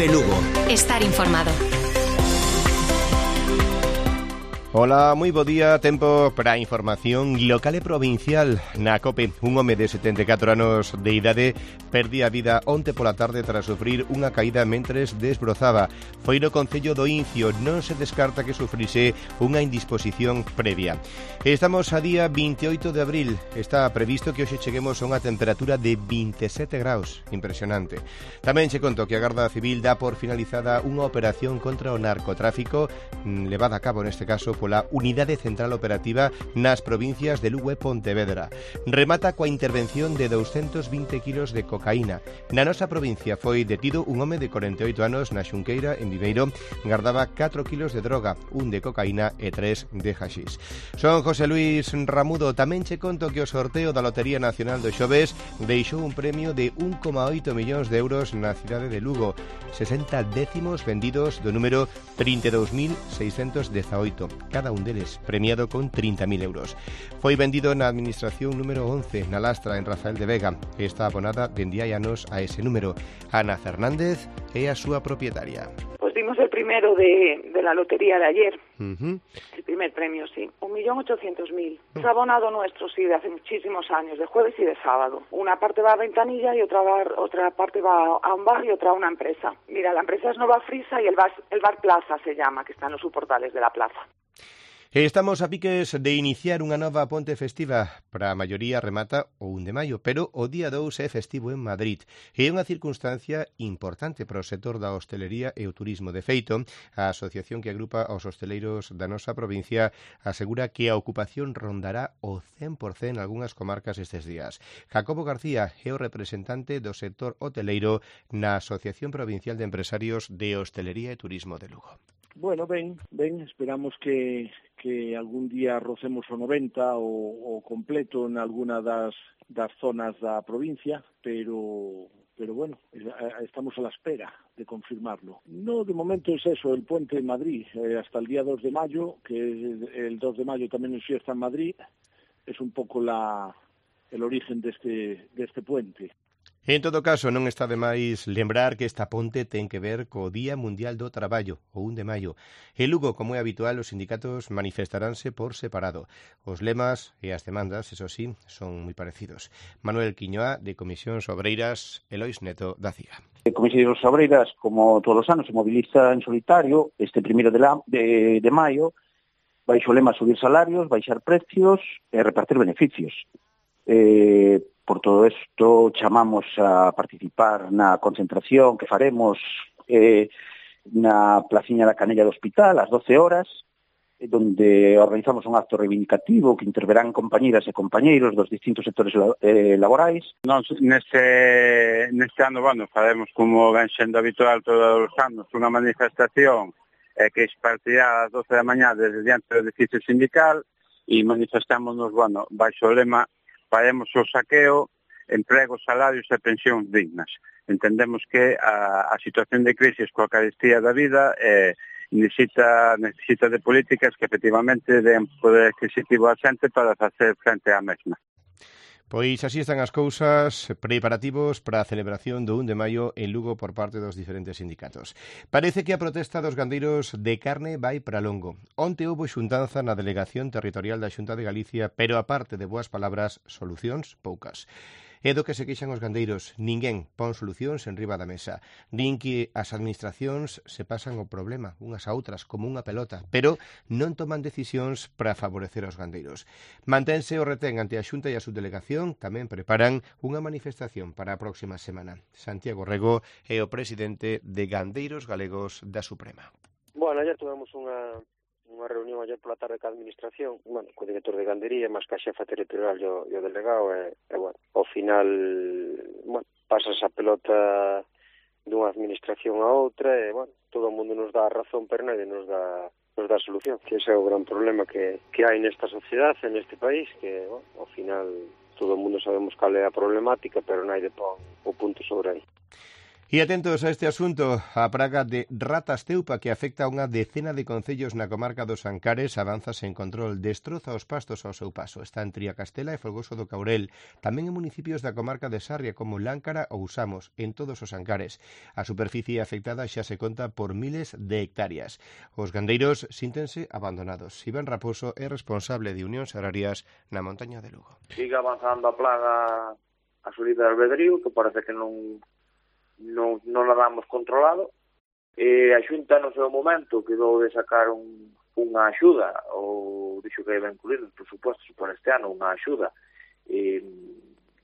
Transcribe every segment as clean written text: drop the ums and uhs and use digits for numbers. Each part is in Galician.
COPE Lugo. Estar informado. Ola, moi bo día, tempo para a información local e provincial na COPE. Un home de 74 anos de idade perdía a vida onte pola tarde tras sufrir unha caída mentres desbrozaba. Foi no concello do Incio, non se descarta que sufrise unha indisposición previa. Estamos a día 28 de abril, está previsto que hoxe cheguemos a unha temperatura de 27 graus, impresionante. Tamén che conto que a Garda Civil dá por finalizada unha operación contra o narcotráfico levada a cabo neste caso pola Unidade Central Operativa nas provincias de Lugo e Pontevedra. Remata coa intervención de 220 kilos de cocaína. Na nosa provincia foi detido un home de 48 anos na Xunqueira, en Viveiro, gardaba 4 kilos de droga, un de cocaína e 3 de haxís. Son José Luis Ramudo. Tamén che conto que o sorteo da Lotería Nacional do Xoves deixou un premio de 1,8 millóns de euros na cidade de Lugo, 60 décimos vendidos do número 32.618. Cada un deles premiado con 30.000 euros. Foi vendido na administración número 11, na Lastra, en Rafael de Vega, que está abonada dende hai anos a ese número. Ana Fernández é a súa propietaria. Pues dimos el primero de la lotería de ayer. Uh-huh. El primer premio, sí. 1.800.000. Es abonado nuestro, sí, de hace muchísimos años, de jueves y de sábado. Una parte va a Ventanilla y otra parte va a un bar y otra a una empresa. Mira, la empresa es Nova Frisa y el bar Plaza se llama, que está en los soportales de la plaza. Estamos a piques de iniciar unha nova ponte festiva. Para a maioría remata o 1 de maio, pero o día 2 é festivo en Madrid. É unha circunstancia importante para o sector da hostelería e o turismo. De feito, a asociación que agrupa aos hosteleiros da nosa provincia asegura que a ocupación rondará o 100% en algunhas comarcas estes días. Jacobo García é o representante do sector hoteleiro na Asociación Provincial de Empresarios de Hostelería e Turismo de Lugo. Bueno, ben, esperamos que algún día rocemos o 90 o completo en alguna das zonas da provincia, pero bueno, estamos a la espera de confirmarlo. No, de momento es eso, el puente en Madrid, hasta el día 2 de mayo, que el 2 de mayo también es fiesta en Madrid, es un poco el origen de este puente. En todo caso, non está de máis lembrar que esta ponte ten que ver co Día Mundial do Traballo, o 1 de maio. En Lugo, como é habitual, os sindicatos manifestaránse por separado. Os lemas e as demandas, eso sí, son moi parecidos. Manuel Quiñoa, de Comisións Obreiras, e Lois Neto, da CIGA. Comisións Obreiras, como todos os anos, se moviliza en solitario este 1 de maio, baixo o lema subir salarios, baixar precios e repartir beneficios. Por todo isto, chamamos a participar na concentración que faremos na placiña da Canella do Hospital ás 12 horas, donde organizamos un acto reivindicativo que interverán compañeras e compañeiros dos distintos sectores laborais. Nós neste ano, faremos como ven sendo habitual todos os anos, unha manifestación que partirá ás 12 da mañá desde diante do edificio sindical e manifestámonos, baixo o lema faremos o saqueo, empregos, salarios e pensións dignas. Entendemos que a situación de crisis coa carestía da vida necesita de políticas que efectivamente den poder adquisitivo á xente para facer frente á mesma. Pois así están as cousas, preparativos para a celebración do 1 de maio en Lugo por parte dos diferentes sindicatos. Parece que a protesta dos gandeiros de carne vai para longo. Onte houbo xuntanza na Delegación Territorial da Xunta de Galicia, pero aparte de boas palabras, solucións poucas. É do que se queixan os gandeiros. Ninguén pon solucións en riba da mesa. Din que as administracións se pasan o problema unhas a outras como unha pelota, pero non toman decisións para favorecer aos gandeiros. Mantense o retén ante a Xunta e a subdelegación, tamén preparan unha manifestación para a próxima semana. Santiago Rego é o presidente de Gandeiros Galegos da Suprema. Bueno, ayer tuvemos unha reunión ayer pola tarde ca administración, co director de gandería, máis ca xefa territorial e o delegado, ao final, pasas a pelota dunha administración a outra e, todo o mundo nos dá a razón, pero nadie nos dá solución, que ese é o gran problema que hai nesta sociedade, neste país, que, ao final, todo o mundo sabemos cal é a problemática, pero nadie pon o punto sobre aí. E atentos a este asunto, a praga de ratas teupa que afecta a unha decena de concellos na comarca dos Ancares avanza sen control, destroza os pastos ao seu paso. Está en Triacastela e Folgoso do Caurel, tamén en municipios da comarca de Sarria como Láncara ou Samos, en todos os Ancares. A superficie afectada xa se conta por miles de hectáreas. Os gandeiros síntense abandonados. Iván Raposo é responsable de Unións Agrarias na montaña de Lugo. Sigue avanzando a plaga a su libre albedrío, que parece que non la damos controlado. A Xunta no seu momento quedou de sacar unha axuda, ou dixo que iba a incluir nos presupostos por este ano unha axuda,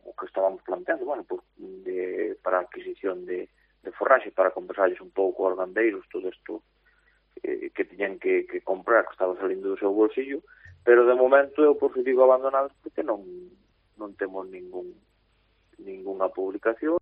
o que estábamos planteando, para a adquisición de forraxe, para compensarles un pouco aos gandeiros todo isto que tiñan que comprar, que estaba salindo do seu bolsillo, pero de momento eu por si digo abandonados porque non temos ningunha publicación.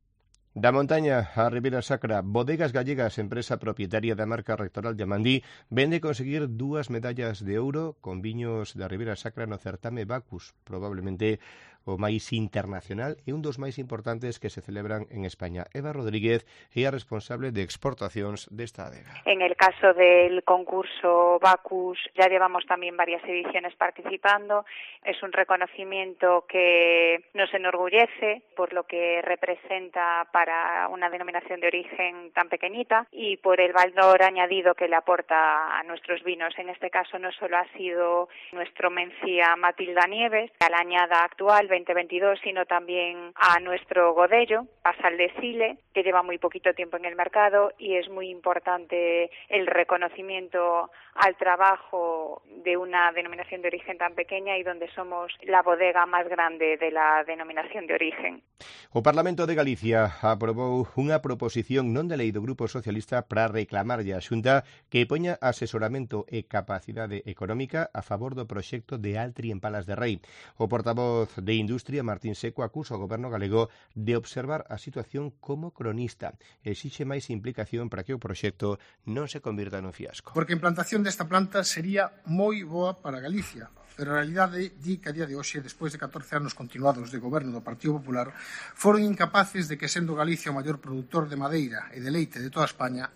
Da montaña a Ribeira Sacra, Bodegas Gallegas, empresa propietaria da marca Rectoral de Amandí, vende conseguir 2 medallas de ouro con viños da Ribeira Sacra no certame Bacus, probablemente o máis internacional e un dos máis importantes que se celebran en España. Eva Rodríguez é a responsable de exportacións desta adega. En el caso del concurso Bacus ya llevamos también varias ediciones participando. Es un reconocimiento que nos enorgullece por lo que representa para una denominación de origen tan pequeñita y por el valor añadido que le aporta a nuestros vinos. En este caso no solo ha sido nuestro Mencía Matilda Nieves, a la añada actual 2022, sino también a nuestro Godello, Pasal de Sile, que lleva muy poquito tiempo en el mercado y es muy importante el reconocimiento al trabajo de una denominación de origen tan pequeña y donde somos la bodega más grande de la denominación de origen. O Parlamento de Galicia aprobou unha proposición non de lei do Grupo Socialista para reclamarlle á Xunta que poña asesoramento e capacidade económica a favor do proxecto de Altri en Palas de Rei. O portavoz de Industria, Martín Seco, acusa ao goberno galego de observar a situación como cronista. Exixe máis implicación para que o proxecto non se convirta nun fiasco. Porque a implantación desta planta sería moi boa para Galicia, pero a realidade di que a día de hoxe, despois de 14 anos continuados de goberno do Partido Popular, foron incapaces de que, sendo Galicia o maior produtor de madeira e de leite de toda España,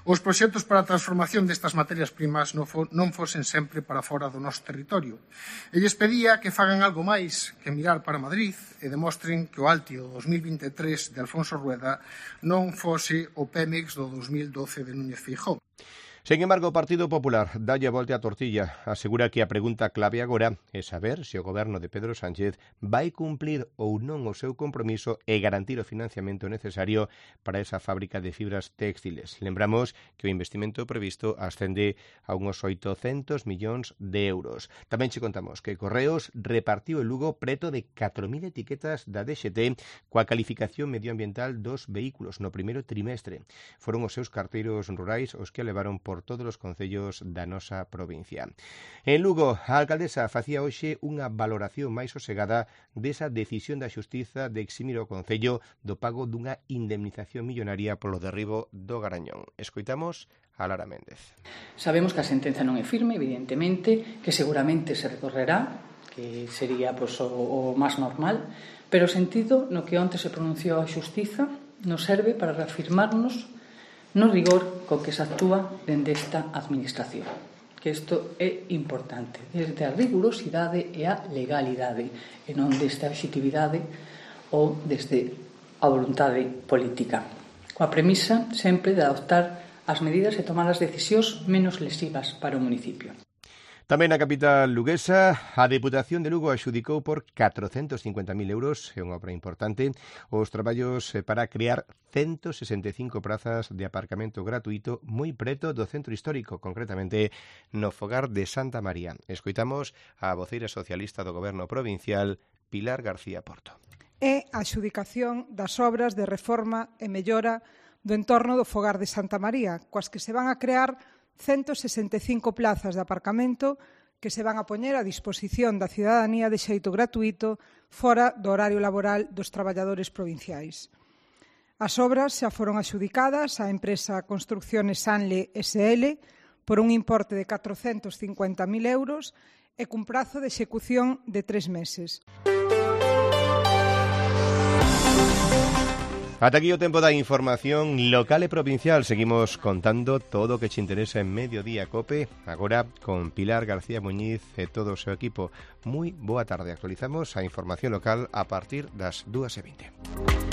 os proxectos para a transformación destas materias primas non fosen sempre para fora do noso territorio. E lles pedía que fagan algo máis que mirar para Madrid e demostren que o Alti do 2023 de Alfonso Rueda non fose o Pemex do 2012 de Núñez Feijóo. Sen embargo, o Partido Popular dalle a volta a tortilla. Asegura que a pregunta clave agora é saber se o goberno de Pedro Sánchez vai cumplir ou non o seu compromiso e garantir o financiamento necesario para esa fábrica de fibras textiles. Lembramos que o investimento previsto ascende a uns 800 millóns de euros. Tamén che contamos que Correos repartiu en Lugo preto de 4.000 etiquetas da DXT coa calificación medioambiental dos vehículos no primeiro trimestre. Foron os seus carteiros rurais os que levaron por todos os concellos da nosa provincia. En Lugo, a alcaldesa facía hoxe unha valoración máis sosegada desa decisión da Xustiza de eximir o concello do pago dunha indemnización millonaria polo derribo do Garañón. Escoitamos a Lara Méndez. Sabemos que a sentenza non é firme, evidentemente, que seguramente se recorrerá, que sería o máis normal, pero o sentido no que onte se pronunciou a Xustiza nos serve para reafirmarnos no rigor co que se actúa dende esta administración, que isto é importante, desde a rigurosidade e a legalidade, e non desde a obxectividade ou desde a voluntade política, coa premisa sempre de adoptar as medidas e tomar as decisións menos lesivas para o municipio. Tamén na capital luguesa, a Deputación de Lugo axudicou por 450.000 euros, é unha obra importante, os traballos para crear 165 prazas de aparcamento gratuito moi preto do centro histórico, concretamente no fogar de Santa María. Escoitamos a voceira socialista do Goberno provincial, Pilar García Porto. É a adxudicación das obras de reforma e mellora do entorno do fogar de Santa María, coas que se van a crear 165 plazas de aparcamento que se van a poñer a disposición da cidadanía de xeito gratuito fora do horario laboral dos traballadores provinciais. As obras xa foron adxudicadas á empresa Construcciones Sanle SL por un importe de 450.000 euros e cun prazo de execución de 3 meses. Ata aquí o tempo da información local e provincial. Seguimos contando todo o que te interesa en Mediodía Cope, agora con Pilar García Muñiz e todo o seu equipo. Moi boa tarde. Actualizamos a información local a partir das 2:20.